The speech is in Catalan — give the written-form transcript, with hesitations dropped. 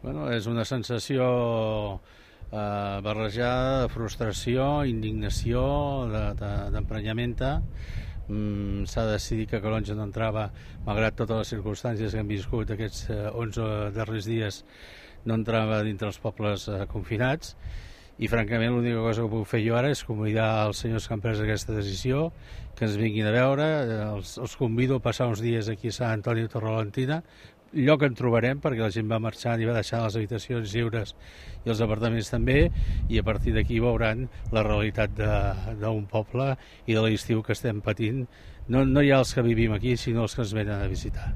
Bueno, és una sensació barrejada de frustració, indignació, d'emprenyamenta. S'ha decidit que Calonge no entrava, malgrat totes les circumstàncies que hem viscut aquests 11 darrers dies, no entrava dintre els pobles confinats, i francament l'única cosa que puc fer jo ara és convidar els senyors que han pres aquesta decisió que ens vinguin a veure. Els convido a passar uns dies aquí a Sant Antoni de Torrelantina, lloc en trobarem perquè la gent va marxar i va deixar les habitacions lliures i els apartaments també, i a partir d'aquí veuran la realitat d'un poble i de l'estiu que estem patint, no ja els que vivim aquí sinó els que ens venen a visitar.